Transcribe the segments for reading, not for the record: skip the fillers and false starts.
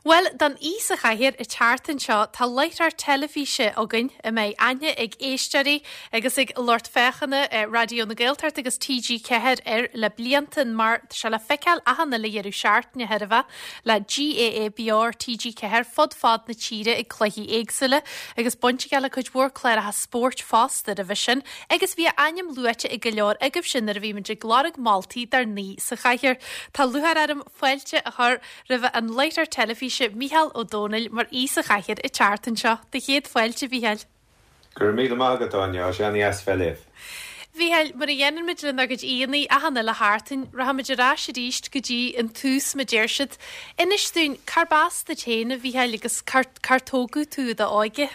Bhuel, don aoi sa chathaoir an tseachtain seo tá láithreoir teilifíse againn a mbeidh aithne ag éisteoirí agus ag lucht féachana Raidió na Gaeltachta agus TG4 air le blianta mar tá sé le feiceáil achan uile dheireadh seachtaine chóir a bheith le GAA Beo ar TG4 fud fad na tíre ag cluichí éagsúla agus baint aige le cuid mhór cláracha spóirt fosta roimhe sin agus bhí a ainm luaite ag go leor agaibhse nuair a bhí muid ag lorg moltaí dár n-aoi sa chathaoir. Tá lúcháir orm fáilte a chur roimh an láithreoir teilifíse Mícheál Ó Domhnaill mar aoi sa chathaoir an tseachtain seo. Do chéad fáilte, a Mhícheáil. Go raibh míle maith agat, Áine. Tá sé an-dheas bheith libh. Mhícheáil, mar a dhéanann muid lenár gcuid aíonna achan uile sheachtain, rachaimid ar ais arís go dtí an tús, mar a deir siad. Inis dúinn, cárb as duit féin, a Mhícheáil, agus cár, cár tógadh tú i d'óige?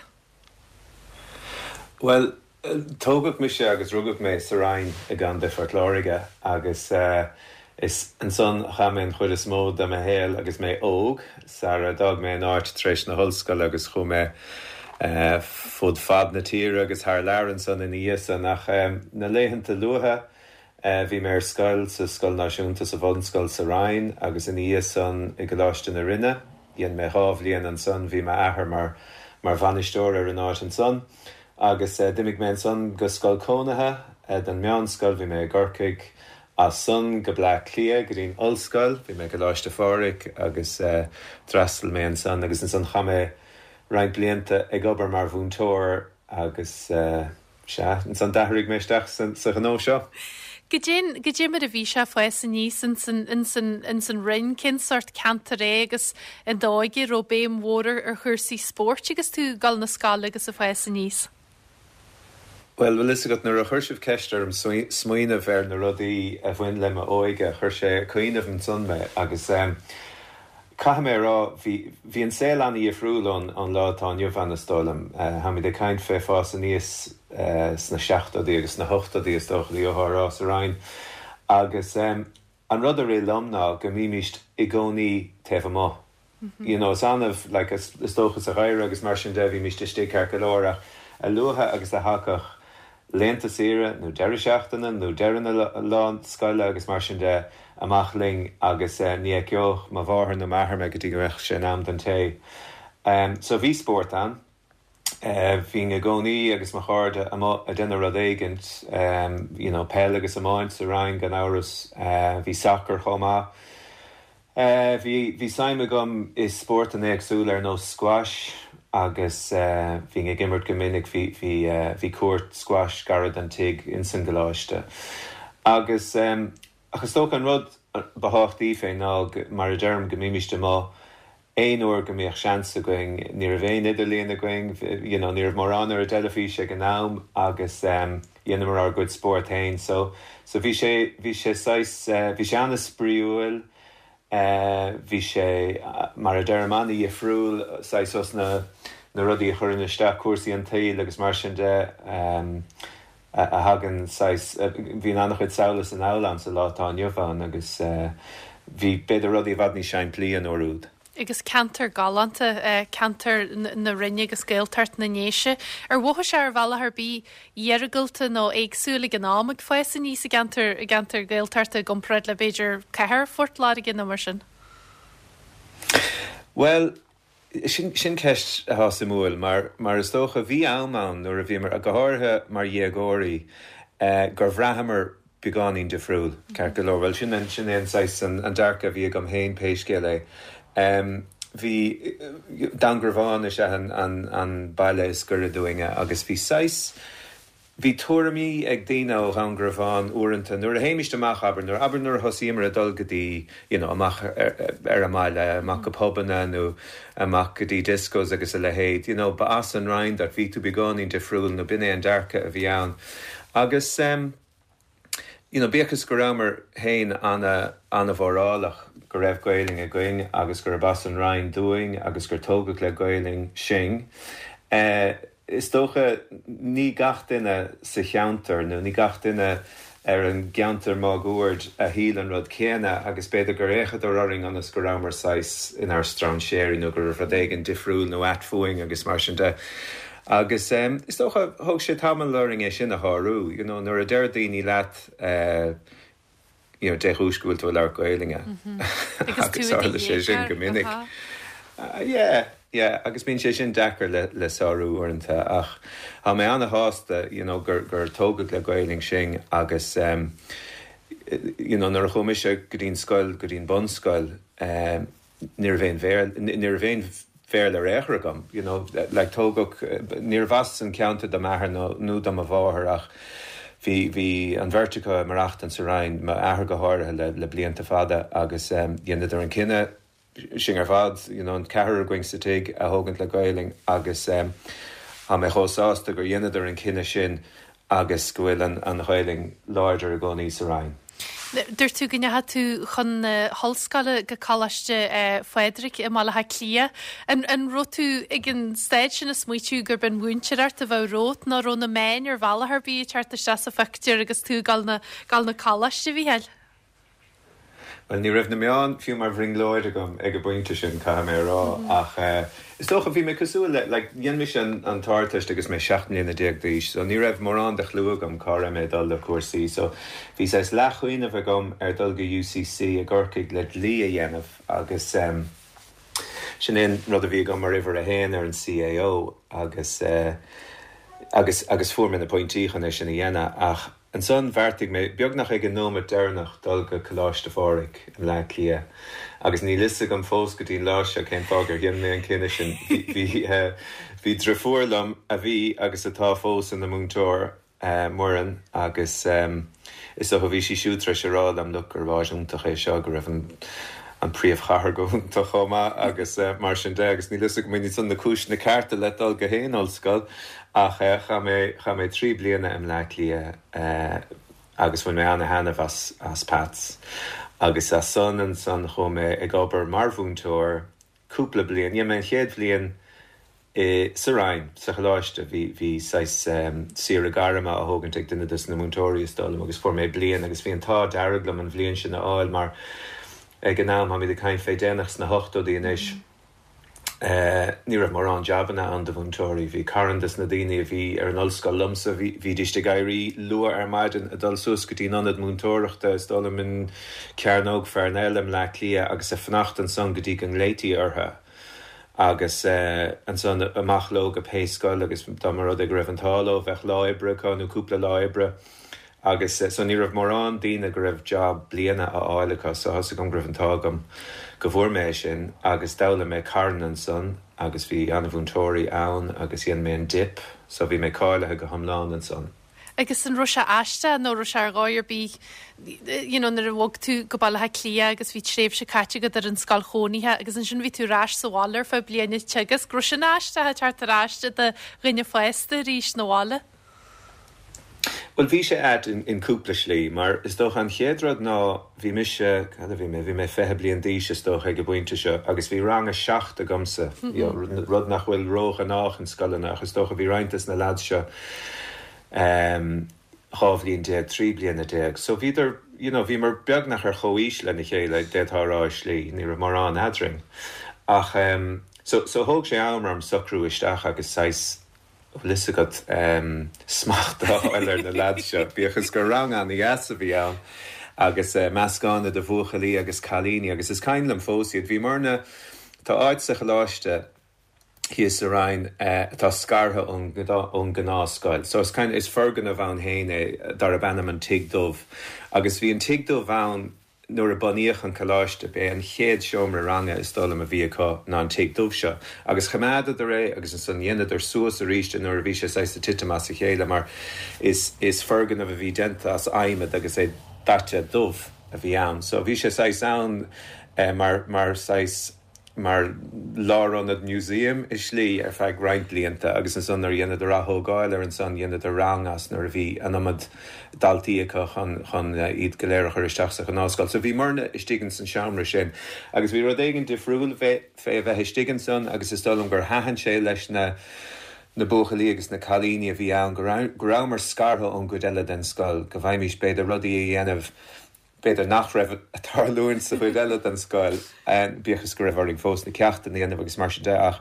Bhuel, Tógadh mise agus rugadh mé sa Rinn i gContae Phort Láirge agus is ansan a chaith mé an chuid is mó de mo shaol agus mé óg, sara d'fhág mé an áit tar éis na hollscoile agus chuaigh mé fud fad na tíre agus thar lear ansan ina dhiaidh san. Ach na laethanta luatha bhí mé ar scoil sa Scoil Náisiúnta, sa bhunscoil sa Rinn agus ina dhiaidh san i gColáiste na Rinne. Dhein mé dhá bhliain ansan, bhí m'athair mar mar bhainisteoir ar an áit ansan. Agus d'imigh mé ansan go scoil cónaithe don meánscoil, bhí mé i gCorcaigh, as san go Bleá Cliath go dtí'n ollscoil, bhí mé i gColáiste Phádraig agus d'fhreastail mé ansan agus ansan chaith mé roinnt blianta ag obair mar mhúinteoir agus sea, ansan d'athraigh mé isteach sa ghnó seo. Goidé, goidé mar a bhí sé ag fás aníos ins an, ins an, ins an Rinn, cén sórt ceantar é agus i d'óige, raibh béim mhór ar, ar chúrsaí spóirt agus tú ag dul na scoile agus ag fás aníos? Bhuel, bhfuil fhios agat, nuair a chuir sibh ceist orm smaoineamh ar na rudaí a bhain le m'óige, chuir sé ag cuimhneamh ansan mé agus caithfidh mé a rá, bhí, bhí an saol an-dhifriúil ón, ón lá atá inniu ann, is dóigh liom. Táimid ag caint fé fás aníos sna seachtóidí agus sna hochtóidí, is dócha, gheofá a rá, sa Rinn agus an rud a rith liom ná go mbímíst i gcónaí taobh amuigh. You know, is annamh, like, is dócha sa gheimhreadh agus mar sin de, bhímíst istigh ceart go leor ach a luaithe agus a thagadh laethanta saoire nó deireadh seachtaine nó deireadh na lá scoile agus mar sin de, amach linn agus ní fheiceodh mo mháthair nó m'athair mé go dtí go mbeadh sé in am don tae. So bhí spórt ann. Bhínn i gcónaí agus mo chairde amuigh ag déanamh rud éigint, you know, peil agus iomáint sa Rinn gan amhras, bhí sacar chomh maith. Bhí, bhí suim agam i spórtanna éagsúla ar nós squash agus bhínn ag imirt go minic, bhí, bhí, bhí cúirt squash gar don tigh ins an gcoláiste. Agus, ach is dócha an rud ba thábhachtaí fé ná, mar a deirim, go mbímíst amuigh aon uair go mbíodh seans againn, ní raibh aon idirlíon againn, you know, ní raibh mórán ar an dteilifís ag an am agus dheineamar ár gcuid spórt féin. So, so bhí sé, bhí sé saghas, bhí sé an-spraíúil, bhí sé, mar a deirim, an-dhifriúil, saghas os na, na rudaí a chuireann isteach cúrsaí an tsaoil agus mar sin de. a thagann saghas, bhíonn an-chuid samhla is anall ann sa lá atá inniu ann agus bhí b'fhéidir rudaí i bhfad níos simplí an uair úd. Agus ceantar galánta, ceantar na Rinne agus Gaeltacht na nDéise. Ar mhothaigh sé ar bhealach ar bith iargúlta nó éagsúil ag an am ag fás aníos i gceantar, i gceantar Gaeltachta i gcomparáid le b'fhéidir cathair Phort Láirge nó mar sin? Bhuel, Sin ceist atá suimiúil mar, mar is dócha, bhí am ann nuair a bhíomar, go háirithe mar dhéagóirí, gur bhraitheamar beagáinín difriúil, ceart go leor. Bhuel, sin an, sin é an saghas, an dearcadh a bhí agam féin pé scéal é. Bhí, Dún Garbhán is ea an, an, an baile is gaire dúinne agus bhí saghas, Bhí tuairimí ag daoine ó Dhún Garbhán uaireanta, nuair a théimist amach, abair, nuair, abair nuair a thosaíomar ag dul go dtí, you know, amach ar an mbaile, amach go pubanna nó amach go dtí discos agus a leithéid, you know, ba as an Rinn duit, bhí tú beagáinín difriúil nó b'in é an dearcadh a bhí ann. Agus em, you know, bíodh is go rabhamar féin ana, ana-mhórálach go raibh Gaelainn againn agus gurb as an Rinn dúinn agus gur tógadh le Gaelainn sinn, eh, Is dócha, ní gach duine sa cheantar nó ní gach duine ar an gceantar máguaird a shíl an rud céanna agus b'fhéidir gur fhéachadar orainn ionas go rabhamar saghas inár strainséirí nó go raibh rud éigin difriúil nó ait fúinn agus mar sin de. Agus is dócha, thóg sé tamall orainn é sin a shárú, you know, nuair a deir daoine leat eh, you know, dé chúis go bhfuil tú ag labhairt Gaelainne. Agus tharla sé sin go minic. Yeah, yeah, agus bíonn sé sin deacair le le sárú uaireanta ach tá mé ana-shásta you know gur gur tógadh le Gaelainn sinn agus em you know nuair a chuaigh mise go dtí'n scoil, go dtí'n bunscoil em ní raibh aon Bhéarla, ní raibh aon Bhéarla ar aon chor agam, you know, like tógadh, níorbh as an ceantar do m'athair nó nó do mo mháthair ach bhí, bhí an bheirt acu ag maireachtaint sa Rinn, m'athair go háirithe le, le blianta fada agus em dheineadar an cinneadh sinn ar fad, you know, an ceathrar againn sa tigh a thógaint le Gaelainn agus em tá mé chomh sásta gur dheineadar an cinneadh sin agus go bhfuil an, an Ghaelainn láidir i gcónaí sa Rinn. Dúirt tú go ndeachaigh tú chun na hollscoile go Coláiste Phádraig i mBaile Átha Cliath. An an raibh tú ag an staid sin ag smaoitiú gurb an mhúinteoireacht a bheadh romhat nó raibh na meáin ar bhealach ar bith ag teacht isteach sa phictiúr agus tú ag dul na dul na coláiste, a Mhícheáil? Bhuel, ní raibh na meáin fiú mar bhrionglóid agam ag an bpointe sin, caithfidh mé a rá, ach is dócha, bhí mé cosúil le, like, dhein mise an t-Ardteist agus mé 17 mbliana d'aois, so ní raibh mórán de chlú agam cá raibh mé ag dul le cúrsaí, so bhí saghas leathchuimhneamh agam ar dul go UCC i gCorcaigh le dlí a dhéanamh agus sin é an rud a bhí agam mar uimhir a haon ar an CAO agus, agus, agus fuair mé na pointí chun é sin a dhéanamh ach. Ansan bheartaigh mé, beagnach ag an nóimeat deireanach, dul go Coláiste Phádraig i mBleá Cliath. Agus níl fhios agam fós go dtí'n lá seo cén fáth gur dhein mé an cinneadh sin. Bhí, bhí driofúr liom a bhí agus atá fós ina múinteoir, Muireann, agus is dócha bhí sí siúd tar éis a rá liom, look, gurb áit iontach é seo, go raibh an, an príomhchathair go hiontach chomh maith agus mar sin de. Agus níl fhios agam an iad san na cúiseanna cearta le dul go haon ollscoil. Ach chaith mé, chaith mé 3 bliana i mBleá Cliath agus bhain mé ana-thaitneamh as, as Pats. Agus as san, ansan chuaigh mé ag obair mar mhúinteoir cúpla bliain. Dhein mé an chéad bhliain i, sa Rinn, sa choláiste. Bhí, bhí saghas saoire gairme á thógaint ag duine dos na múinteoirí is dóigh liom agus fuair mé bliain agus bhí an t-ádh dearg liom an bhliain sin a fháil mar ag an am, táimid ag caint fé déanach sna hochtóidí anois, Ní raibh mórán jabanna ann do mhúinteoirí. Bhí carn des na daoine a bhí ar an ollscoil liomsa, bhídíst ag éirí luath ar maidin ag dul suas go dtí'n ionad múinteoireachta, is dóigh liom in Cearnóg Pharnell i mBleá Cliath agus ag fanacht ansan go dtí go nglaoití orthu agus ansan amach leo go pé scoil agus dá mba rud é go raibh an t-ádh leo bheadh lá oibre acu nó cúpla lá oibre. Agus so ní raibh mórán daoine go raibh job bliana á fháil acu so tá's agam go raibh an t-ádh agam go bhfuair mé é sin agus d'fhoghlaim mé carn ansan agus bhí ana-mhúinteoirí ann agus dhein mé an Dip so bhí mé cáilithe go hiomlán ansan. Agus an raibh sé aisteach nó raibh sé ar dhóigh ar bith you know nuair a bhog tú go Baile Átha Cliath agus bhí tréimhse caite agat ar an scoil chónaithe agus ansin bhí tú ar ais sa bhaile ar feadh bliana ag teagasc, raibh sin aisteach ag teacht ar ais i do dhuine fásta arís 'na bhaile? Bhuel, bhí sé ait in cúpla slí, mar is dócha an chéad rud ná bhí mise, cad a bhí mé, bhí mé 20 bliain d'aois is dócha ag an bpointe seo agus bhí rang a seacht agamsa, you know, rud nach bhfuil róghnách in scoileanna ach is dócha bhí roinnt des na lads seo 12 bhliain, 13 bliana. So bhíodar, you know, bhíomar beagnach ar chomhaois lena chéile, d'fhéadfá a rá i slí, ní raibh mórán eadrainn. Ach so, so thóg sé am orm socrú isteach agus saghas, bhfuil fhios agat, smacht a fháil ar na leaids seo, bíodh is gur rang ana-dheas a bhí ann agus meascán idir bhuachaillí agus cailíní agus is cuimhin liom fós iad. Bhíomarna, tá áit sa choláiste thíos sa Rinn atá scartha ón ón gnáthscoil so is kind, is foirgneamh ann féin é darb ainm an Tigh Dubh agus bhí an Tigh Dubh ann Nuair a bunaíodh an coláiste, b'é an chéad seomra ranga is dóigh liom a bhí acu ná an tigh dubh seo. Agus choimeádadar é agus ansan dheineadar suas arís é nuair a bhí sé saghas ag titim as a chéile mar is is foirgneamh a bhí déanta as adhmad agus é daite dubh a bhí ann. So bhí sé saghas ann mar mar saghas. mar lárionad museum i slí ar feadh roinnt blianta agus ansan nuair a dheineadar ath-thógáil air ansan dheineadar rang as nuair a bhí an iomad daltaí acu chun chun iad go léir a chur isteach sa ghnáthscoil. So bhíomarna istigh ins an seomra sin agus bhí rud éigin difriúil fé fé a bheith istigh ansan agus is dóigh liom gur thaitin sé leis na na buachaillí agus na cailíní a bhí ann go raibh go rabhamar scartha ón gcuid eile den scoil go bhfaighimís b'fhéidir rudaí a dhéanamh b'fhéidir nach raibh ag tarlúint sa chuid eile den scoil, bíodh is go raibh orainn fós na ceachtanna a dhéanamh agus mar sin de, ach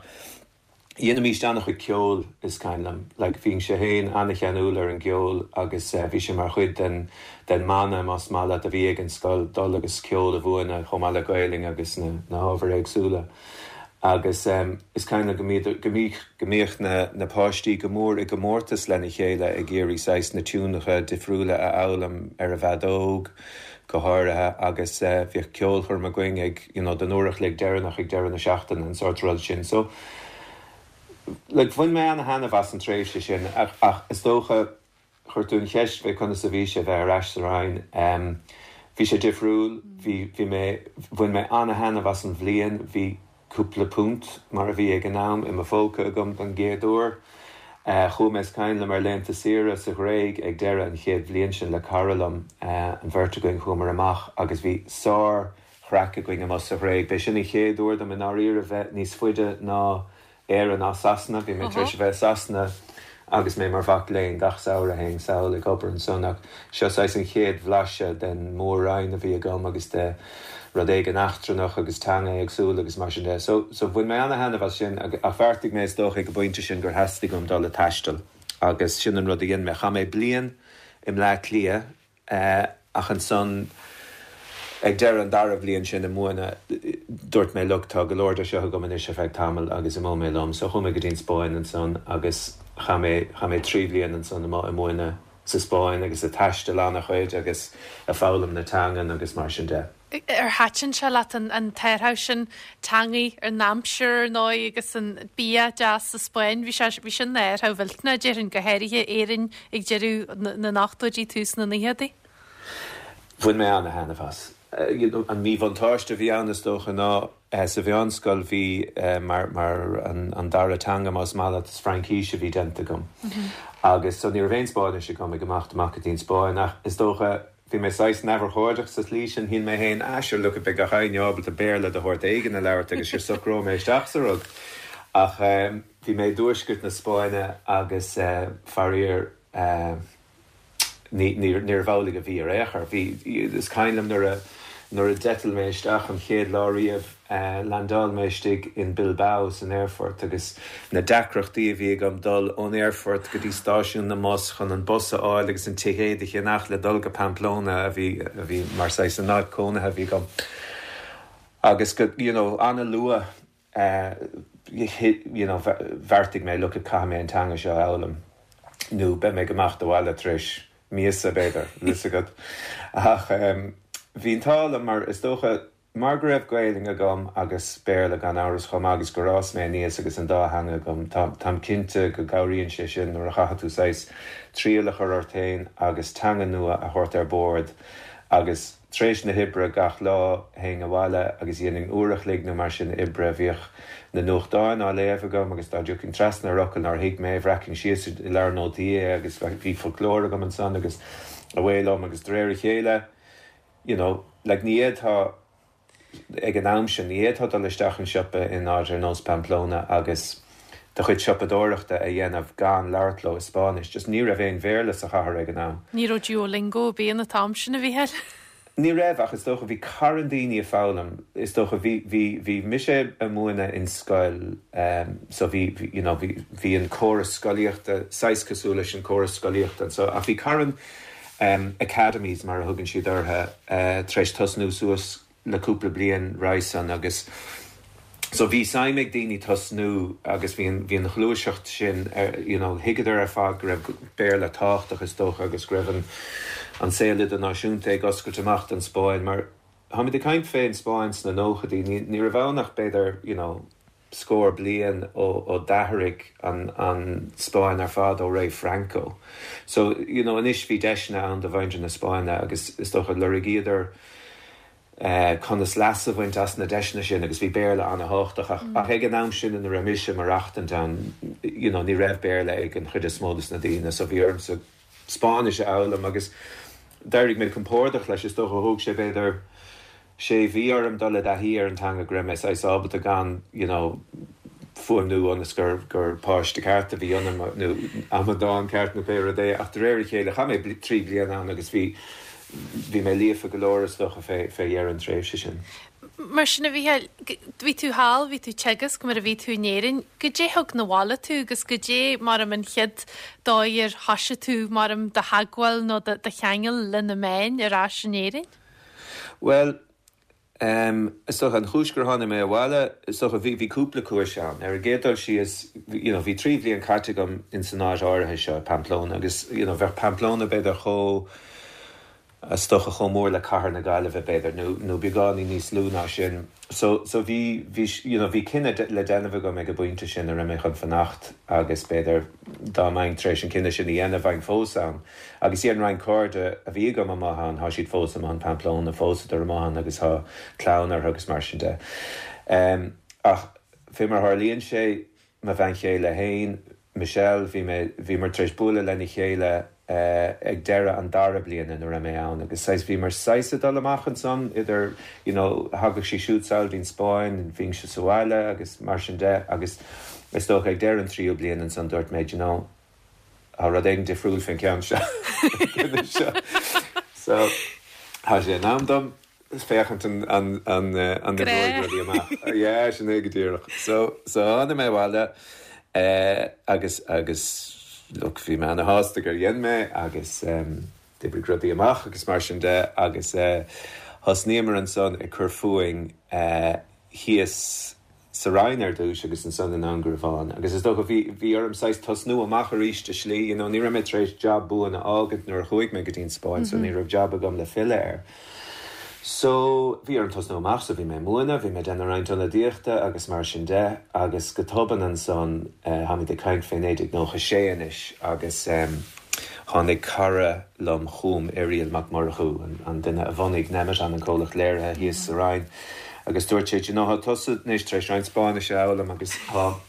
dheinimíst an-chuid ceoil, is cuimhin liom. Like, bhínnse féin an-cheanúil ar an gceol agus bhí sé mar chuid den, den mana, más maith leat, a bhí ag an scoil, dul agus ceol a mhúineadh chomh maith le Gaelainn agus na, na hábhair éagsúla. Agus is cuimhin liom go mbíodar, go mbíodh, go mbíodh na, na páistí go mór i gcomórtas lena chéile ag iarraidh saghas na tiúnacha difriúla a fhoghlaim ar an bhfeadóg go háirithe agus bhíodh ceolchoirm againn ag, you know, don uair a chloig deireanach ag deireadh na seachtaine, an sórt rud sin. So, like, bhain mé ana-thaitneamh as an tréimhse sin ach, ach is dócha, Chuir tú an cheist fé conas a bhí sé bheith ar ais sa Rinn. Bhí sé difriúil. Bhí, bhí mé, bhain mé ana-thaitneamh as an bhliain. Bhí cúpla punt, mar a bhí ag an am, i mo phóca agam don gcéad uair. Chuaigh mé, is cuimhin liom, ar laethanta saoire sa Ghréig ag deireadh an chéad bhliain sin le cara liom. An bheirt againn, chuamar amach agus bhí sár-chraic againn amuigh sa Ghréig. B'é sin an chéad uair dom i ndáiríre bheith níos faide ná Éire ná Sasana. Bhí mé tar éis a bheith i Sasana agus mé mar mhac léinn gach samhradh, théinn sall ag obair ansan ach seo saghas an chéad bhlaiseadh den Mhór-Roinn a bhí agam agus de rud éigin eachtrannach agus teanga éagsúil agus mar sin de. So, so bhain mé ana-thaitneamh as sin ach bheartaigh mé is dócha ag an bpointe sin gur theastaigh uaim dul ag taisteal agus sin an rud a dhein mé. Chaith mé bliain i mBleá Cliath Ach ansan, ag deireadh an dara bhliain sin ag múineadh, dúirt mé, look, tá go leor de seo agam anois ar feadh tamaill agus imeoidh mé liom. So chuaigh mé go dtí an Spáinn ansan agus chaith mé, chaith mé 3 bhliain ansan amuigh ag múineadh sa Spáinn agus ag taisteal an-chuid agus ag foghlaim na teangan agus mar sin de. Ar thaitin sé leat an t-athrú sin teangaidh ar an aimsir ar ndóigh agus an bia deas sa Spáinn? Bhí sé, bhí sin ina athrú mhillteanach déarfainn, go háirithe Éirinn ag deireadh na n-ochtóidí, tús na naochadaí. Bhain mé ana-thaitneamh as. An míbhuntáiste a bhí ann is dócha ná sa mheánscoil bhí mar, mar an dara teanga más maith leat is Fraincís a bhí déanta agam agus so ní raibh aon Spáinnis agam ag imeacht amach go dtí an Spáinn ach is dócha Bhí mé saghas neamhurchóideach sa tslí sin, shíl mé féin, ah sure look beidh gach éinne ábalta Béarla de shórt éigin a labhairt agus sure socróidh mé isteach sa rud. Ach bhí mé i dtuaisceart na Spáinne agus faraor ní, níorbh amhlaidh a bhí ar aon chor. Bhí, is cuimhin liom nuair a, nuair a d'eitil mé isteach an chéad lá riamh, Landáil mé istigh in Bilbao san aerfort agus na deacrachtaí a bhí agam dul ón aerfort go dtí stáisiún na mbus chun an bus a fháil agus an ticéad a cheannach le dul go Pamplona a bhí a bhí mar saghas an áit cónaithe a bhí agam agus go you know an-luath you know bheartaigh mé look caithfidh mé an teanga seo a fhoghlaim nó beidh mé ag imeacht abhaile tar éis míosa b'fhéidir, bhfuil fhios agat. Ach bhí an t-ádh liom mar is dócha Mar go raibh Gaelainn agam agus Béarla gan amhras chomh maith agus gur fhás mé aníos agus an dá theanga agam, tá, táim cinnte go gcabhraíonn sé sin nuair a chaithfidh tú saghas triail a chur ort féin agus teanga nua a thabhairt ar bord agus tar éis na hoibre gach lá théinn abhaile agus dhéanainn uair a chloig nó mar sin oibre, bhíodh na nuachtáin á léamh agam agus dá dtiocfainn trasna ar fhocal nár thuig mé, bhreacfainn síos i leabhar nótaí é agus bhí foclóir agam ansan agus away liom agus de réir a chéile you know, like ní fhéadfá, ag an am sin, ní fhéadfá dul isteach in siopa in áit ar nós Pamplona agus do chuid siopadóireachta a dhéanamh gan labhairt leo i Spáinnis. Just ní raibh aon Bhéarla sa chathair ag an am. Ní raibh Duolingo ar bith an t-am sin, a Mhícheáil. Ní raibh, ach is dócha bhí carn daoine ag foghlaim. Is dócha bhí, bhí, bhí mise ag múineadh in scoil so bhí, bhí, you know, bhí, bhí an córas scolaíochta saghas cosúil leis an córas scolaíochta anso ach bhí carn, academies mar a thugann siad orthu, tar éis tosnú suas le cúpla bliain roimhe san agus so bhí suim ag daoine tosnú agus bhí an, bhí an ghluaiseacht sin ar, you know, thuigeadar ar fad go raibh Béarla tábhachtach is dócha agus go raibh an, an saol idirnáisiúnta ag oscailt amach don Spáinn mar táimid ag caint fén Spáinn sna nóchaidí, ní, ní raibh ann ach b'fhéidir, you know, scór bliain ó d'athraigh an Spáinn ar fad ó ré Franco. So, you know, anois bhí deiseanna ann do mhuintir na Spáinne agus is dócha lorgaíodar conas leas a bhaint as na deiseanna sin agus bhí Béarla ana-thábhachtach ach ach ag an am sin ina raibh mise ag maireachtaint ann, you know, ní raibh Béarla ag an chuid is mó de na daoine so bhí ormsa Spáinnis a fhoghlaim agus d'éirigh mé compordach leis, is dócha thóg sé b'fhéidir sé mhí orm dul i dtaithí ar an teanga go raibh mé saghas ábalta gan you know fuaimniú ionas gur gur páiste ceart a bhí ionam nó amadán ceart nó pé rud é ach de réir a chéile chaith mé 3 bliana ann agus bhí bhí mé líofa go leor is dócha fé fé dheireadh an tréimhse sin. Mar sin a Mhícheáil, bhí tú thall, bhí tú ag teagasc mar a bhí tú in Éirinn, goidé thug 'na bhaile tú agus goidé mar an chéad dóigh ar thoisigh tú mar do theagmháil nó do cheangal le na meáin ar ais in Éirinn? Bhuel. Is dócha, an chúis gur tháinig mé abhaile, is dócha, bhí, bhí cúpla cúis ann. Ar an gcéad dul síos, you know, bhí 3 bhliain caite agam ins an áit áirithe seo, Pamplona, agus, you know, bheadh Pamplona b'fhéidir chomh, is dócha chomh mór le cathair na Gaillimhe, b'fhéidir, nó, nó beagáinín níos lú ná sin. So, so bhí, bhí, you know, bhí cinneadh le déanamh agam ag an bpointe sin an raibh mé chun fanacht agus b'fhéidir dá mbeinn tar éis an cinneadh sin a dhéanamh bheinn fós ann. Agus dhein roinnt cairde a bhí agam amuigh ann, thá siad fós amuigh in Pamplona, phósadar amuigh ann agus thá clann orthu agus mar sin de. Ach fé mar a tharlaíonn sé, mo bhean chéile fhéin, Michelle, bhí mé, bhíomar tar éis bualadh lena chéile ag deireadh an dara bliain ina raibh mé ann agus saghas, bhíomar saghas ag dul amach ansan idir, you know, thagadh sí siúd sall dtí'n Spáinn, bhínnse sa bhaile agus mar sin de agus is dócha ag deireadh an tríú bliain ansan dúirt mé, do you know, Tá rud éigin difriúil fén gceann seo. So, tá sé in am dom féachaint an an an an oibreoidh rudaí amach. Yeah, sin é go díreach. So, so tháinig mé abhaile agus agus look, bhí mé ana-shásta gur dhein mé agus d'oibrigh rudaí amach agus mar sin de agus thosnaíomar ansan ag cur fúinn thíos sa Rinn ar dtúis agus ansan i nDún Garbhán agus is dócha bhí, bhí orm saghas tosnú amach arís i slí, you know, ní raibh mé tar éis jab buan a fhágaint nuair a chuaigh mé go dtí an Spáinn so ní raibh jab agam le filleadh air. So bhí orm tosnú amach so bhí mé ag múineadh, bhí mé ag déanamh roinnt ionadaíochta agus mar sin de agus go tobann ansan, táimid ag caint fé 1996 anois agus eh, Tháinig cara liom chugam, Irial Mac Murchú, an duine a bhunaigh Nemeton, an comhlacht léirithe thíos sa Rinn, agus dúirt sé, Do you know, tá tusa anois tar éis roinnt Spáinnise a fhoghlaim agus tá,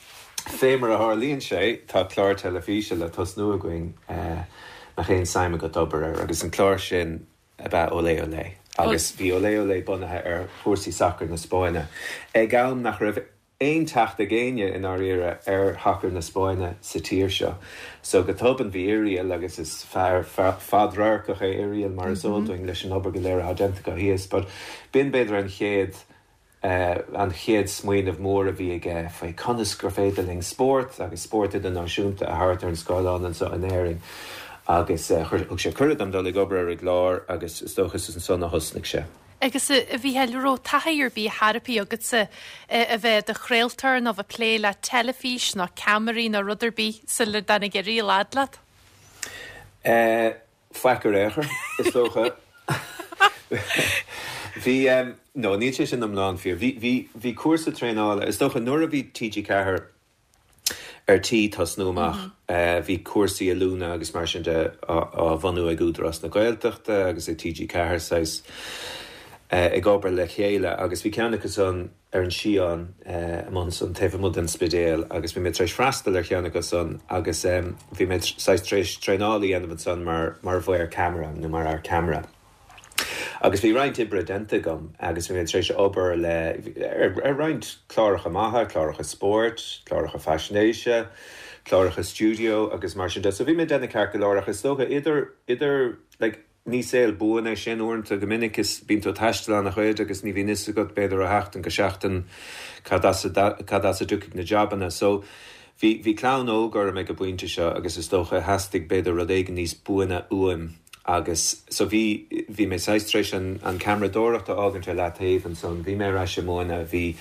fé mar a tharlaíonn sé, tá clár teilifíse le tosnú againn, mbeadh aon suim agat obair air? Agus an clár sin ab ea Olé Olé. Agus bhí Olé Olé bunaithe ar chúrsaí sacair na Spáinne ag am nach raibh aon teacht ag éinne i ndáiríre ar shacar na Spáinne sa tír seo. So go tobann bhí Irial, agus is fear fadradharcach é Irial mar is eol dúinn leis an obair go léir atá déanta acu thíos, but b'in b'fhéidir an chéad an chéad smaoineamh mór a bhí aige faoi conas gur féidir linn spórt agus spórt idirnáisiúnta a thabhairt ar an scáileán anseo in Éirinn agus thug sé cuireadh dom dul ag obair ar an gclár agus is dócha is ansan a thosnaigh sé. Agus a Mhícheáil, raibh taithí ar bith ar bith agatsa a bheith i do chraoltóir nó bheith ag plé le teilifís nó ceamaraí nó rud ar bith sula dtáinig Irial fhad leat? Faic ar aon chor, is dócha. Bhí, no, níl sé sin iomlán fíor. Bhí, bhí, bhí cúrsa traenála, is dócha nuair a bhí TG4 ar tí tosnú amach. Bhí cúrsaí oiliúna agus mar sin de á bhunú ag Údarás na Gaeltachta agus ag TG4 saghas ag obair le chéile agus bhí ceann acu san ar an Sián amuigh ansan taobh amuigh den Spidéal agus bhí mé tar éis freastal ar cheann acu san agus bhí mé saghas tar éis traenáil a dhéanamh ansan mar mar mhaor ceamara nó mar fhear ceamara. Agus bhí roinnt oibre déanta agam agus bhí mé tar éis obair le, ar roinnt cláracha maithe, cláracha spóirt, cláracha faisnéise, cláracha stiúideo agus mar sin de. So bhí mé ag déanamh ceart go leor ach is dócha idir, idir, like, ní saol buan é sin uaireanta, go minic is bíonn tú ag taisteal an-chuid agus ní bhíonn fhios agat b'fhéidir ó sheachtain go seachtain cad as a, cad as a dtiocfaidh na jabanna. So bhí, bhí clann óg orm ag an bpointe seo agus is dócha theastaigh b'fhéidir rud éigin níos buaine uaim. Agus so bhí, bhí mé saghas tar éis an, an ceamaradóireacht a fhágaint ar leataobh ansan, bhí mé ar ais ag múineadh, bhí,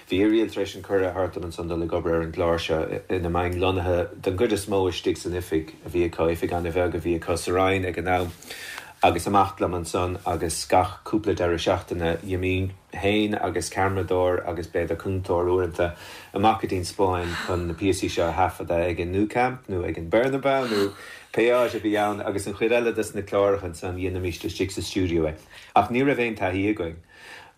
bhí Irial tar éis an cuireadh a thabhairt dom ansan dul ag obair ar an gclár seo ina mbeinn lonnaithe den gcuid is mó istigh san oifig a bhí acu, oifig an-bheag a bhí acu sa Rinn ag an am, agus amach liom ansan agus gach cúpla deireadh seachtaine d'imínn féin agus ceamaradóir agus b'fhéidir cúntóir uaireanta amach go dtí an Spáinn chun na píosaí seo a thaifeadadh ag an Nou Camp nó ag an Bernabeu nó Pé áit a bhí ann agus an chuid eile des na cláracha ansan dheinimíst istigh sa stiúideo é. Ach ní raibh aon taithí againn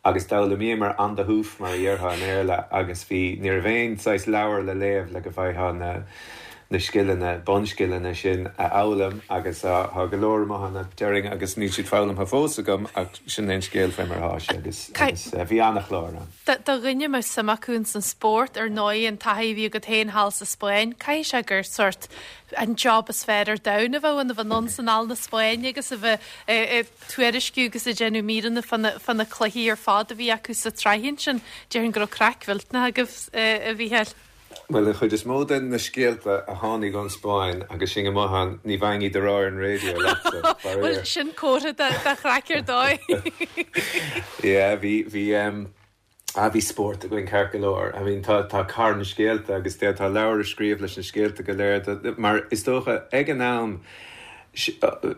agus d'fhoghlaimíomar on the hoof mar a dhéarfá i mBéarla agus bhí, ní raibh aon saghas leabhar le léamh le go bhfaightheá na, na scileanna, bunscileanna sin a fhoghlaim agus tá go leor amuigh ann déarfainn agus níl siad foghlamtha fós agam ach sin é an scéal fé mar atá sé agus, agus bhí an-chlár ann. Do dhuine a mbeadh suim acu ins an spórt, ar ndóigh an taithí a bhí agat féin thall sa Spáinn, caithfidh sé gur sórt an job is fearr ar domhan a bheadh ann, a bheith anonn 's anall na Spáinne agus a bheith ag tuairisciú agus ag déanamh míreanna fá na cluichí ar fad a bhí acu sa tsraith ansin. Déarfainn go raibh craic mhillteanach agaibh, a Mhícheáil. Bhuel, an chuid is mó de na scéalta a tháinig ón Spáinn agus sinn amuigh ann, ní bhfaighinn iad a rá ar an raidió leatsa, faraor. Bhuel, sin comhartha de chraic ar dóigh. Yeah, bhí, bhí, em, ah, bhí spórt againn ceart go leor. I mean, tá, tá carn scéalta agus d'fhéadfá leabhar a scríobh leis na scéalta go léir, mar is dócha, ag an am,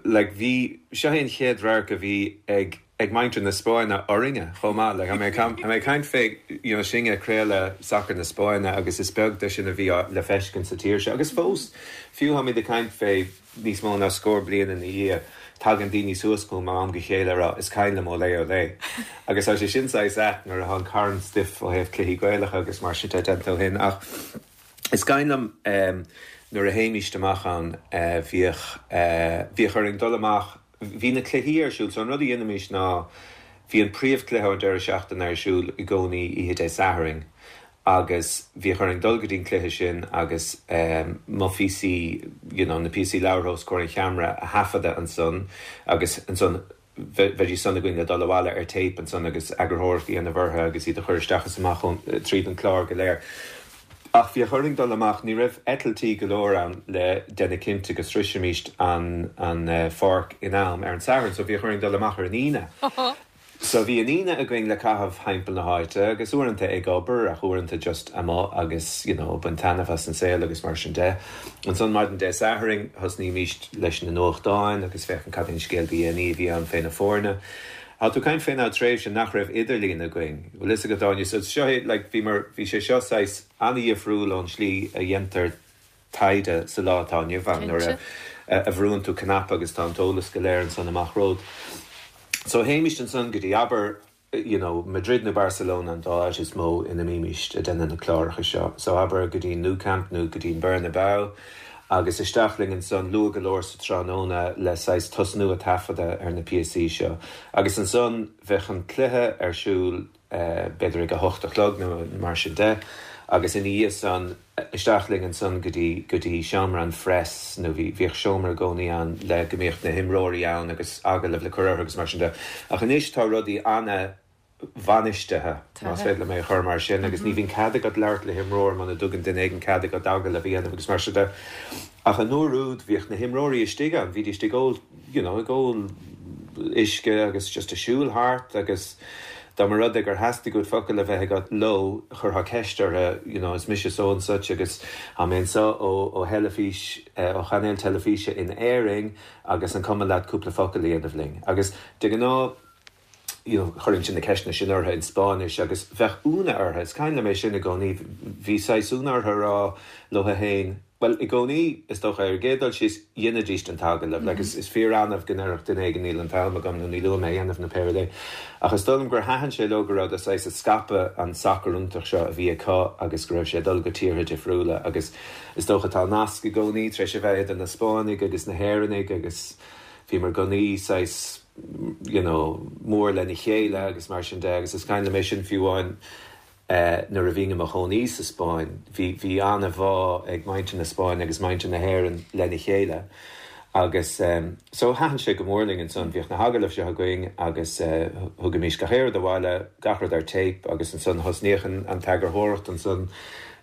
like, bhí, seo é an chéad radharc a bhí ag, ag muintir na Spáinne orainne chomh maith. Like, tá mé tá mé ag caint fé, you know, sinne ag craoladh sacar na Spáinne agus is beag de sin a bhí le feiscint sa tír seo. Agus fós, fiú táimid ag caint fé níos mó ná scór bliain ina dhiaidh, tagann daoine suas chugam ó am go chéile ag rá, is cuimhin liom olé olé. Agus tá sé sin saghas ait nuair atá an carn stuif ó thaobh cluichí Gaelacha agus mar sin de déanta ó shin. Ach is cuimhin liom nuair a théimíst amach ann, bhíodh, bhíodh orainn dul amach, Bhí na cluichí ar siúl, so an rud a dhéanaimís ná, bhí an príomhchluiche ón deireadh seachtaine ar siúl i gcónaí oíche Dé Sathairn agus bhíodh orainn dul go dtí an cluiche sin agus mo phíosaí, you know, na píosaí labhartha os comhair an cheamara a thaifeadadh ansan agus ansan bheidís san againn le dul abhaile ar téip ansan agus eagarthóireacht a dhéanamh orthu agus iad a chur isteach is amach tríd an chlár go léir. Ach bhíodh orainn dul amach, ní raibh eitiltí go leor ann le déanamh cinnte go sroisfimíst an an pháirc in am ar an Satharn, so bhíodh orainn dul amach ar an Aoine. So bhí an Aoine againn le caitheamh thimpeall na háite agus uaireanta ag obair ach uaireanta just amuigh agus you know baint taitneamh as an saol agus mar sin de. Ansan maidin Dé Sathairn thosnaímíst leis na nuachtáin agus féachaint cad é an scéal ba dhéanaí a bhí ann fé na foirne. Tá tú ag caint fén am tréimhse nach raibh idirlíon againn. Bhfuil fhios agat Áine, so seo é like bhí mar, bhí sé seo saghas an-dhifriúil ón slí a dhéantar taighde sa lá atá inniu ann nuair a a bhrúann tú cnaipe agus tá an t-eolas go léir ansan amach romhat. So théimist ansan go dtí abair you know Madrid nó Barcelona an dá áit is mó ina mbímist ag déanamh na cláracha seo. So abair go dtí Nou Camp nó go dtí an Bernabeu agus isteach linn ansan luath go leor sa tráthnóna le saghas tosnú ag taifeadadh ar na píosaí seo. Agus ansan bheadh an cluiche ar siúl b'fhéidir ag a hocht a chlog nó mar sin de agus ina dhiaidh san isteach linn ansan go dtí, go dtí seomra an phress nó bhí, bhíodh seomra i gcónaí ann le go mbíodh na himreoirí ann agus agallamh le cur orthu agus mar sin de. Ach anois tá rudaí ana. bhainistithe, más féidir liom é a chur mar sin, agus ní bhíonn cead agat labhairt le himreoir muna dtugann duine éigin cead agat agallamh a dhéanamh agus mar sin de. Ach an uair úd, bhíodh na himreoirí istigh ann, bhídís ag ól, you know, ag ól uisce agus just ag siúl thart agus dá mba rud é gur theastaigh uait focal a bheith agat leo, chuirfeá ceist orthu, you know, is mise so and such agus tá mé anseo ó, ó theilifís, ó chainéal teilifíse in Éirinn agus an cuma leat cúpla focal a dhéanamh linn? Agus de ghnáth, you know, chuirinnse na ceisteanna sin orthu in Spáinnis agus bheadh ionadh orthu, is cuimhin liom é sin i gcónaí, bhí saghas ionadh orthu a rá leo féin, bhuel, i gcónaí, is dócha, ar an gcéad dul síos, dheinidíst an t-agallamh, like, is, is fíor-annamh go ndéarfadh duine éigin níl an t-am agam nó níl uaim é a dhéanamh nó pé rud é. Ach is dóigh liom gur thaitin sé leo go rabhadar saghas ag scaipeadh an sacar iontach seo a bhí acu agus go raibh sé ag dul go tíortha difriúla agus is dócha tá nasc i gcónaí tar éis a bheith idir na Spáinnigh agus na hÉireannaigh agus bhíomar i gcónaí saghas you know, mór lena chéile agus mar sin de agus is cuimhin liom é sin fiú amháin nuair a bhínn i mo chónaí sa Spáinn, bhí, bhí an-bhá ag muintir na Spáinne agus muintir na hÉireann lena chéile agus so thaitin sé go mór linn ansan, bhíodh na hagallaimh seo againn agus thugaimis gach aon rud abhaile, gach rud ar téip agus ansan thosnaíodh an, an t-eagarthóireacht ansan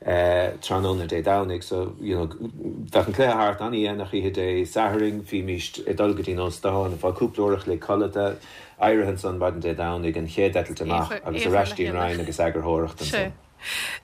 tráthnóna Dé Domhnaigh so you know bheadh an cluiche thart an-dhéanach oíche Dé Sathairn, bhímíst ag dul go dtí an óstán, ag fáil cúpla uair a chloig codlata, éirithe ansan maidin Dé Domhnaigh, an chéad eitilt amach agus ar ais dtí an Rinn agus eagarthóireacht ansan.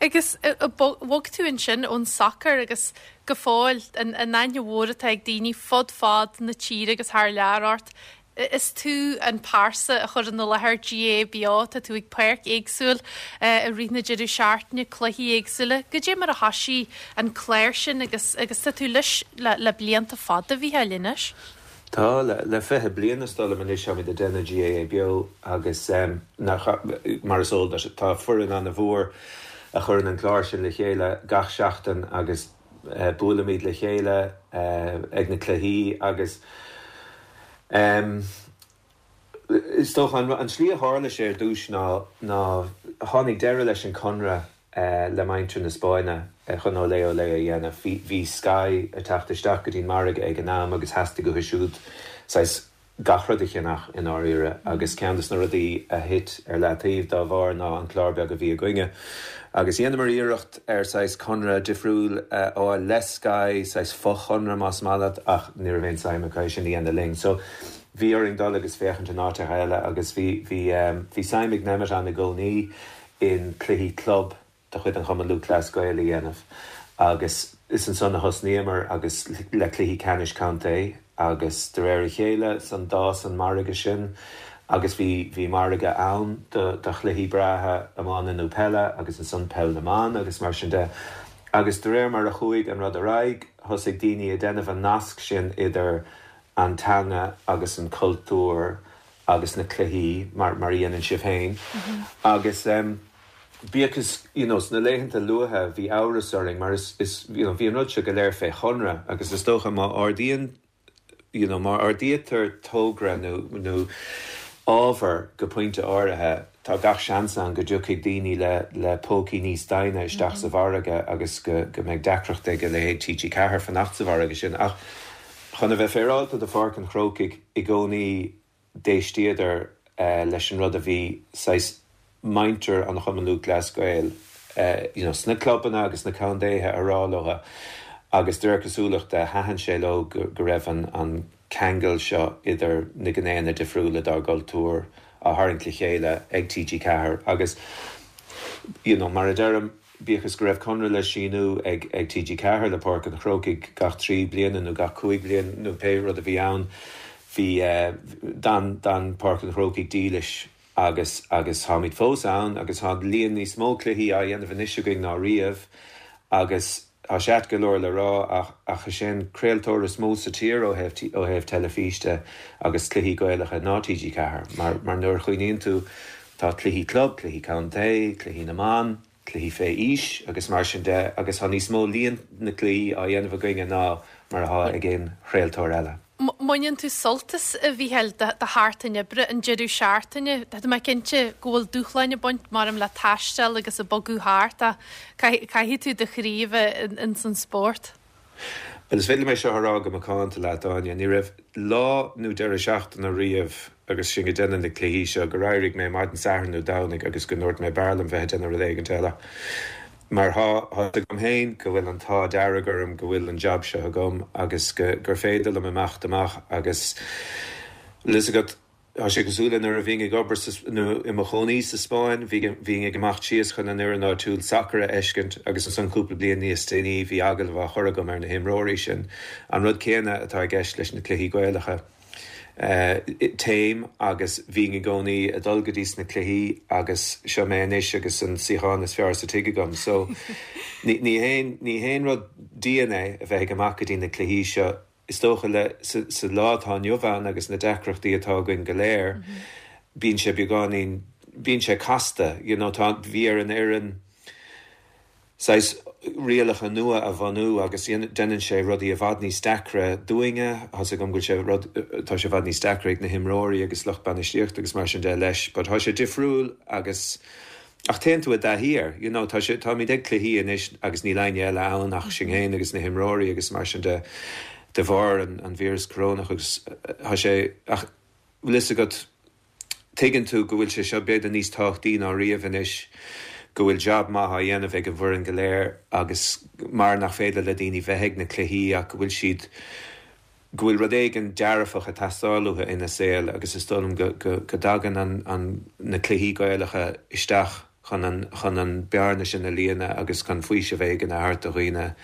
Agus bhog tú ansin ón sacar agus go fóill an aithne mhór atá ag daoine fud fad na tíre agus thar lear ort. Is tú an pearsa a chuireann i láthair GAA Beo, tá tú ag páirc éagsúil i rith na deireadh seachtaine, cluichí éagsúla. Goidé mar a thoisigh an clár sin agus agus tá tú leis le le blianta fada, a Mhícheáil, anois? Tá, le le 20 bliain is dóigh liom anois táimid ag déanamh GAA Beo agus nach, mar is eol duit, tá foireann an-mhór a chuireann an clár sin le chéile gach seachtain agus buailimid le chéile ag na cluichí agus is dócha an tslí a tharla sé ar dtús ná ná tháinig deireadh leis an conradh le muintir na Spáinne chun Olé Olé a dhéanamh. Bhí Sky ag teacht isteach go dtí'n margadh ag an am agus theastaigh uathu siúd saghas. gach rud a cheannach i ndáiríre agus ceann des na rudaí a thit ar leataobh dá bharr ná an clár beag a bhí againne. Agus dheineamar iarracht ar saghas conradh difriúil a fháil le Sky, saghas fochonradh más maith leat, ach ní raibh aon suim acu é sin a dhéanamh linn. So bhí orainn dul agus féachaint in áiteacha eile agus bhí, bhí, bhí suim ag Nemeton i gcónaí in cluichí club de chuid an Chumann Lúthchleas Gael a dhéanamh agus is ansan a thosnaíomar agus le cluichí ceannais contae agus de réir a chéile san d'fhás an margadh sin agus bhí bhí margadh ann do do chluichí breátha iomána nó peile agus ansan peil na mban agus mar sin de agus de réir mar a chuaigh an rud ar aghaidh thosaigh daoine ag déanamh an nasc sin idir an teanga agus an cultúr agus na cluichí mar mar a dhéanann sibh féin agus bíodh is you know sna laethanta luatha bhí amhras orainn mar is is you know bhí an rud seo go léir fé chonradh agus is dócha má ardaíonn you know má ardaítear togra nó nó ábhar go pointe áirithe tá gach seans ann go dtiocfaidh daoine le le pócaí níos doimhne isteach sa mhargadh agus go go mbeidh deacracht ag a leithéid TG4 fanacht sa mhargadh sin ach chun a bheith féaráilte do Pháirc an Chrócaigh i gcónaí d'éistíodar leis an rud a bhí saghas muintir an Chumann Lúthchleas Gael you know sna clubanna agus sna contaetha a rá leo agus de réir cosúlachta thaitin sé leo go go raibh an an ceangal seo idir na gnéanna difriúla dár gcultúr á tharraingt le chéile ag TG4 agus you know mar a deirim Bíodh is go raibh conradh le síniú ag TG4 le Páirc an Chrócaigh gach 3 bliana nó gach 5 bliana nó pé rud a bhí ann, bhí, d'fhan, d'fhan Páirc an Chrócaigh dílis agus, agus táimid fós ann agus tá líon níos mó cluichí á dhéanamh anois againn ná riamh agus tá sé ait go leor le rá ach, ach is é an craoltóir is mó sa tír ó thaobh, ó thaobh teilifíse agus cluichí Gaelacha ná TG4 mar, mar nuair a chuimhníonn tú tá cluichí club, cluichí contae, cluichí na mban. cluichí fé aois agus mar sin de agus tá níos mó líon na gcluichí á dhéanamh againne ná mar atá ag aon chraoltóir eile. Mbaineann tú sult as, a Mhícheáil, do sheachtain oibre, an deireadh seachtaine? Tá mé cinnte go bhfuil dúshláin ag baint, maram, le taisteal agus ag bogadh thart ach caithfidh tú do chroí a bheith ins an spórt. Bhuel, is féidir liom é seo a rá go macánta leat, Áine, ní raibh lá nó deireadh seachtaine riamh agus sinn ag déanamh na cluichí seo gur éirigh mé maidin Sathairn nó Domhnaigh agus go ndúirt mé b'fhearr liom bheith ag déanamh rud éigint eile. Mar tá a fhios agam féin go bhfuil an t-ádh dearg orm go bhfuil an jab seo agam agus go gur féidir liom imeacht amach agus, bhfuil fhios agat, Tá sé cosúil le nuair a bhínn ag obair sa, nó i mo chónaí sa Spáinn, bhínn ag imeacht síos chun an fhoireann áitiúil sacair a fheiscint agus ansan cúpla bliain níos déanaí bhí agallamh á chur agam ar na himreoirí sin. An rud céanna atá i gceist leis na cluichí Gaelacha. Téim agus bhínn i gcónaí ag dul go dtí sna cluichí agus seo mé anois agus an suíochán is fearr sa tigh agam. So ní haon, ní haon rud dian é a bheith ag imeacht go dtí na cluichí seo. Is dócha le, sa lá atá inniu ann agus na deacrachtaí atá againn go léir, bíonn sé beagáinín, bíonn sé casta, you know, tá, bhí ar an fhoireann saghas rialacha nua a bhunú agus déanann sé rudaí i bhfad níos deacra dúinne, tá's agam go bhfuil sé rud, tá sé i bhfad níos deacra ag na himreoirí agus lucht bainistíochta agus mar sin de leis, but tá sé difriúil agus. Ach téann tú i dtaithí air, you know, tá sé, táimid ag cluichí anois agus níl éinne eile ann ach sinn féin agus na himreoirí agus mar sin de, de bharr an, an víreas corónach agus tá sé, ach bhfuil fhios agat, tuigeann tú go bhfuil sé seo b'fhéidir níos tábhachtaí ná riamh anois, go bhfuil jab maith á dhéanamh ag an bhfoireann go léir agus mar nach féidir le daoine bheith ag na cluichí ach go bhfuil siad, go bhfuil rud éigin dearfach ag teastáil uathu ina saol agus is dóigh liom go, go, go dtagann an, an, na cluichí Gaelacha isteach chun an, chun an bearna sin a líonadh agus chun faoiseamh éigin a thabhairt do dhaoine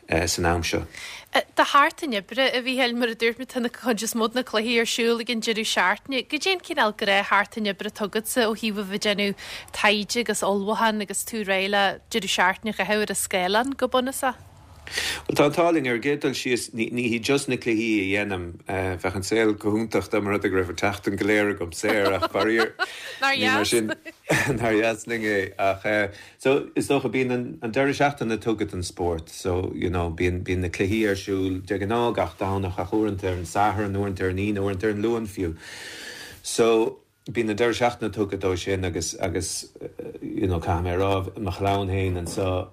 san am seo. Do sheachtain oibre, a Mhícheáil, mar a dúirt mé, tá an chuid is mó de na cluichí ar siúl ag an deireadh seachtaine. Goidé an cineál gnáthsheachtain oibre atá agatsa ó thaobh a bheith ag déanamh taighde agus ullmhúchán agus tú réidh le deireadh seachtaine a chaitheamh ar an scáileán, go bunúsach? Bhuel, tá an t-ádh linn. Ar an gcéad dul síos, ní hí just na cluichí a dhéanaim. Bheadh an saol go hiontach dá mba rud é go raibh an tseachtain go léir agam saor, ach faraor, Nár ní mar dheas? sin. Nár dheas linn é. Ach, so, is dócha, bíonn an, an deireadh seachtaine tugtha don spórt. So, you know, bíonn, bíonn na cluichí ar siúl de ghnáth gach Domhnach ach uaireanta ar an Satharn, uaireanta ar an Aoine, uaireanta ar an Luan fiú. So, Bíonn an deireadh seachtaine tugtha dó sin agus, agus you know, caithfidh mé a rá, mo chlann féin anseo.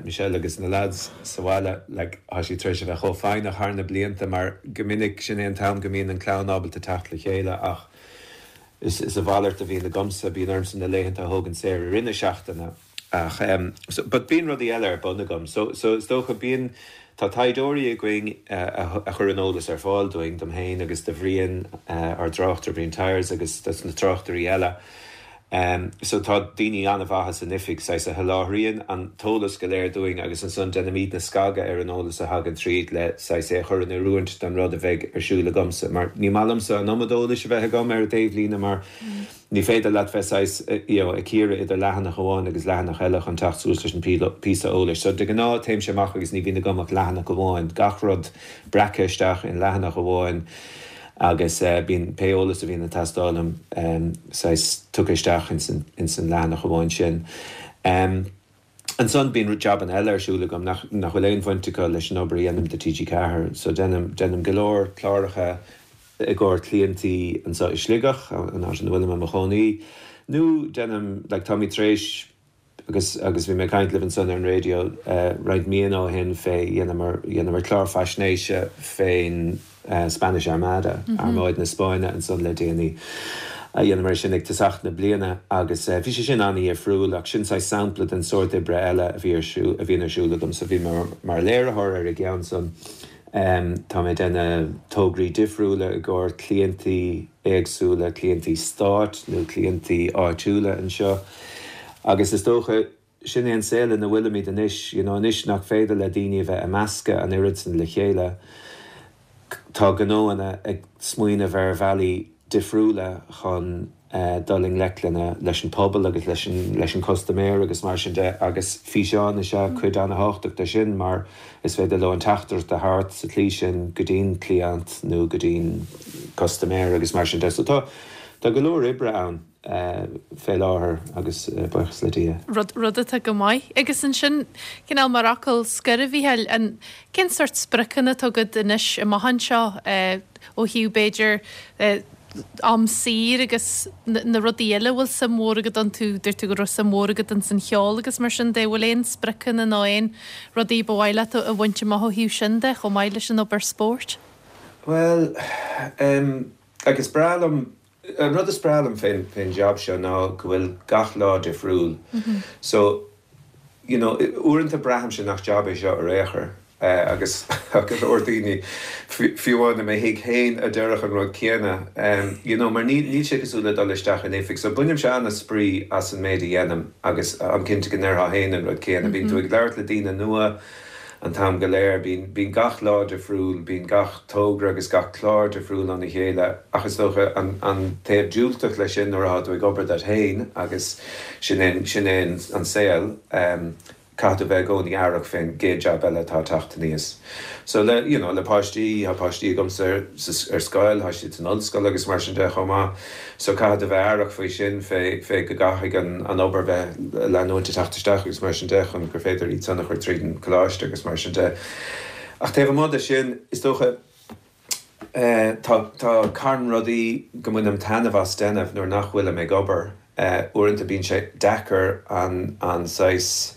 Michelle agus na lads sa bhaile, like, tá siad tar éis a bheith chomh foighneach thar na blianta mar go minic sin é an t-am go mbíonn an clann ábalta teacht le chéile ach is is a mhalairt a bhíonn agamsa, bíonn ormsa na laethanta a thógaint saor i rith na seachtaine ach em so but bíonn rudaí eile ar bun agam so so is dócha bíonn tá taighdeoirí againn a a chuireann eolas ar fáil dúinn, dom féin agus do Bhrian, ár dtráchtaire Brian Tyers agus dos na tráchtairí eile. So tá daoine an-mhaithe san oifig, saghas, a sholáthraíonn an t-eolas go léir dúinn agus ansan déanaimidne scagadh ar an eolas a thagann tríd le saghas é a chur in oiriúint don rud a bheidh ar siúl agamsa. Mar ní maith liomsa an iomad eolais a bheith agam ar an taobhlíne mar ní féidir leat bheith saghas, you know, ag cíoradh idir leathanach amháin agus leathanach eile chun teacht suas leis an píosa eolais. So de ghnáth téimse amach agus ní bhíonn agam ach leathanach amháin, gach rud breactha isteach in leathanach amháin. agus bíonn pé eolas a bhíonn ag teastáil uaim saghas tugtha isteach ins an leathanach amháin sin. Ansan bíonn jabanna eile ar siúl agam nach bhfuil aon bhaint acu leis an obair a dhéanaim do TG4. So déanaim, déanaim go leor cláracha i gcomhair cliantaí anseo i Sligeach, an áit ina bhfuilim i mo chónaí, nó déanaim, like táimid tar éis, Agus agus bhí mé ag caint libh ansan ar an raidió roinnt míonna ó shin fé, dheineamar, dheineamar clár faisnéise fén Spanish Armada, Armáid na Spáinne ansan le déanaí. Dheineamar é sin ag tosach na bliana agus bhí sé sin an-dhifriúil ach sin saghas sampla den sórt oibre eile a bhí ar siúl, a bhíonn ar siúl agam. So bhí mé mar léiritheoir ar an gceann san. Tá mé ag déanamh tograí difriúla i gcomhair cliantaí éagsúla, cliantaí stáit nó cliantaí áitiúla anseo agus is dócha sin é an saol ina bhfuilimid anois, you know anois nach féidir le daoine a bheith ag meascadh an oiread san le chéile, tá gnóanna ag smaoineamh ar bhealaí difriúla chun dul i ngleic lena, leis an pobal agus leis an, leis an custaiméir agus mar sin de agus físeáin is ea cuid an-thábhachtach de sin mar is féidir leo an teachtaireacht a thabhairt sa tslí sin go dtí'n cliant nó go dtí'n custaiméir agus mar sin de. So tá, tá go leor oibre ann fé láthair agus buíochas le Dia. Rud, rud atá go maith. Agus ansin, cineál mar fhocal scoir a Mhícheáil, an, cén sórt spriocanna atá agat anois amach anseo ó thaobh b'fhéidir am saor agus na rudaí eile a bhfuil suim mhór agat iontu, dúirt tú go raibh suim mhór agat ins an cheol agus mar sin de, bhfuil aon spriocanna nó aon rudaí ba mhaith leat a bhaint amach ó thaobh sin de chomh maith leis an obair spóirt? Bhuel, em, like is breá liom, an rud is breá liom fén, fén jab seo ná go bhfuil gach lá difriúil. So, you know, uaireanta braithimse nach jab é seo ar aon chor agus tá go leor daoine, fiú amháin i mo thigh féin, a déarfadh an rud céanna, you know, mar níl, níl sé cosúil le dul isteach in oifig. So bainimse an-spraoi as an méid a dhéanaim agus táim cinnte go ndéarfá féin an rud céanna. Bíonn tú ag labhairt le daoine nua an t-am go léir, bíonn, bíonn gach lá difriúil, bíonn gach togra agus gach clár difriúil óna chéile ach is dócha an, an taobh diúltach leis sin nuair atá tú ag obair duit féin agus sin é, sin é an saol. Caithfidh tú bheith i gcónaí aireach fén gcéad jab eile atá ag teacht aníos. So le, you know, le páistí, tá páistí agamsa ar, ar scoil, tá siad san ollscoil agus mar sin de chomh maith. So caithfidh tú bheith aireach faoi sin, fé, fé go gcaithfidh an, an obair bheith leanúint ag teacht isteach agus mar sin de chun gur féidir iad san a chur tríd an coláiste agus mar sin de. Ach taobh amuigh de sin, is dócha, Tá, tá carn rudaí go mbainim taitneamh as déanamh nuair nach bhfuilim ag obair. Uaireanta bíonn sé deacair an, an saghas,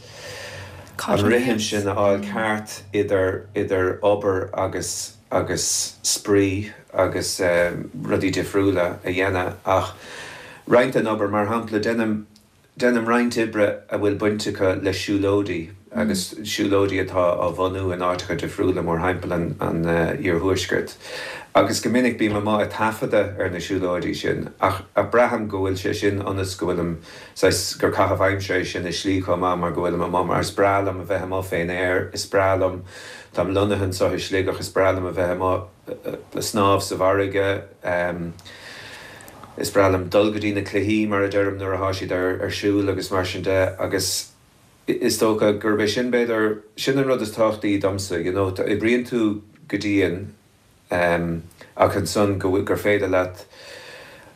an rithim sin a fháil ceart idir, idir obair agus, agus spraoi agus rudaí difriúla a dhéanamh. Ach roinnt den obair, mar shampla, déanaim, Déanaim roinnt oibre a bhfuil baint acu le siúlóidí agus siúlóidí atá á bhunú in áiteacha difriúla mórthimpeall an iarthuaiscirt agus go minic bím amuigh ag taifeadadh ar na siúlóidí sin ach braithim go bhfuil sé sin ionas go bhfuilim saghas gur caitheamh aimsire é sin i slí chomh maith mar go bhfuilim amuigh mar is breá liom a bheith amuigh fén aer, is breá liom, táim lonnaithe anseo i Sligeach, is breá liom a bheith amuigh. snámh sa bhfarraige. Is breá liom dul go dtí na cluichí, mar a deirim, nuair atá siad ar siúl agus mar sin de agus is dócha gurb é sin, b'fhéidir, sin an rud is tábhachtaí domsa, you know, oibríonn tú go dian ach ansan go bhfuil, gur féidir leat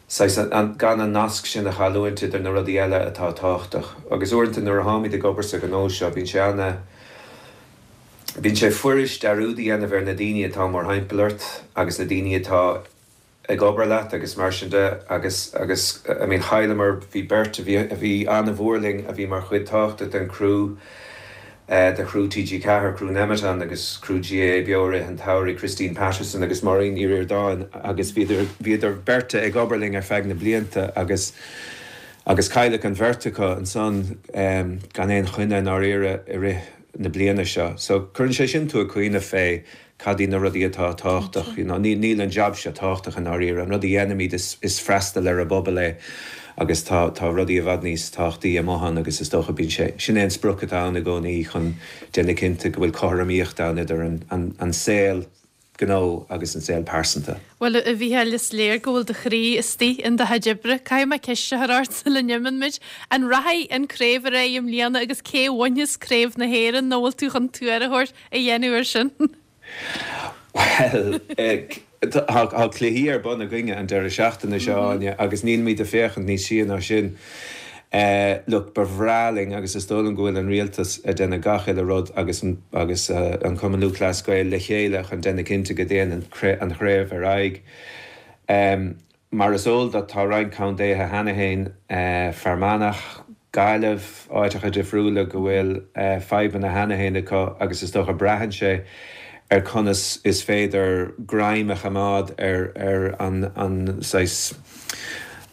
saghas gan an nasc sin a chailliúint idir na rudaí eile atá tábhachtach. Agus uaireanta nuair a tháimid ag obair sa ghnó seo, bíonn sé ana, Bíonn sé fuirist dearúd a dhéanamh ar na daoine atá mórthimpeall ort agus na daoine atá ag obair leat agus mar sin de agus, agus, I mean chailleamar, bhí beirt a bhí, a bhí an-mhór linn a bhí mar chuid tábhachtach den chriú. de chriú TG4, criú Nemeton agus criú GAA Beo i rith an tsamhraidh, Christine Patterson agus Máirín Ní Ríordáin agus bhíodar, bhíodar beirt ag obair linn ar feadh na blianta agus, agus cailleadh an bheirt acu ansan gan aon choinne i ndáiríre i rith na bliana seo. So cuireann sé sin tú ag cuimhneamh fé cad iad na rudaí atá tábhachtach, you know, níl an jab seo tábhachtach i ndáiríre, an rud a dhéanaimid is, is freastal ar an bpobal é agus tá, tá rudaí i bhfad níos tábhachtaí amuigh ann agus is dócha bíonn sé, sin é an sprioc atá ann i gcónaí chun déanamh cinnte go bhfuil cothromaíocht ann idir an, an, an saol gnó agus an saol pearsanta. Bhuel, a Mhícheáil, is léir go bhfuil do chroí istigh in do chuid oibre. Caithfidh mé ceist a chur ort sula n-imíonn muid. An rachaidh an craobh ar aghaidh i mbliana agus cé a bhainfeas Craobh na hÉireann nó bhfuil tú chun tuar a thabhairt? a dhéanamh air sin? Bhuel, tá cluichí ar bun againne an deireadh seachtaine seo, Áine, agus nílimid ag féachaint níos sia ná sin. Look, ba bhreá linn, agus is dóigh liom go bhfuil an rialtas ag déanamh gach uile rud agus agus an Cumann Lúthchleas Gael le chéile chun déanamh cinnte go dtéann an chraobh ar aghaidh. Mar is eol duit, tá roinnt contaetha cheana féin, Fear Manach, Gaillimh, áiteacha difriúla, go bhfuil fadhbanna cheana féin acu agus is dócha braitheann sé ar conas is féidir greim a choimeád ar ar an an saghas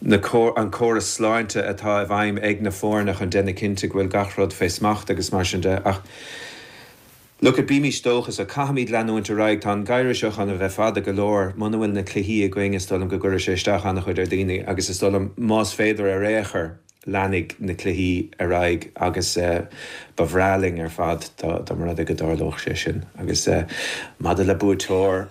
na an córas sláinte atá i bhfeidhm ag na foirne chun déanamh cinnte go bhfuil gach rud fé smacht agus mar sin de ach Look it, bímís dóchasach, caithfimid leanúint ar aghaidh, tá an geimhreadh seo chun a bheith fada go leor, muna bhfuil na cluichí againn is dóigh liom go gcuirfidh sé isteach an-chuid ar dhaoine agus is dóigh liom más féidir ar aon chor leanfaidh na cluichí ar aghaidh agus ba bhreá linn ar fad dá mba rud é go dtarlódh sé sin. Agus maidir le buaiteoir,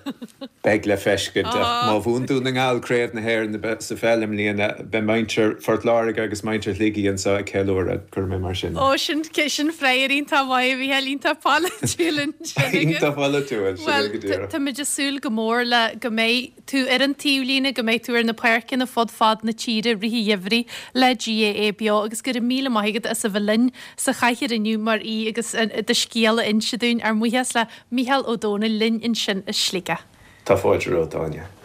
beidh le feiscint ach má bhuann Dún na nGall Craobh na hÉireann sa pheil i mbliana, beidh muintir Phort Láirge agus muintir Shligigh anseo ag ceiliúradh, cuirfidh mé mar sin é. Ó, sin, sin freagra iontach maith, a Mhícheáil, iontach polaitiúil ansin agat. Iontach polaitiúil, sin é go díreach. Bhuel, táimid ag súil go mór le go mbeidh tú ar an taobhlíne, go mbeidh tú ar na páirceanna fud fad na tíre i rith an gheimhridh le GAA Beo agus go raibh míle maith agat as a bheith linn sa chathaoir inniu mar aoi agus do scéal a inse dúinn. Ár mbuíochas le Mícheál Ó Domhnaill linn ansin i Sligeach. Tá fáilte romhat, Áine.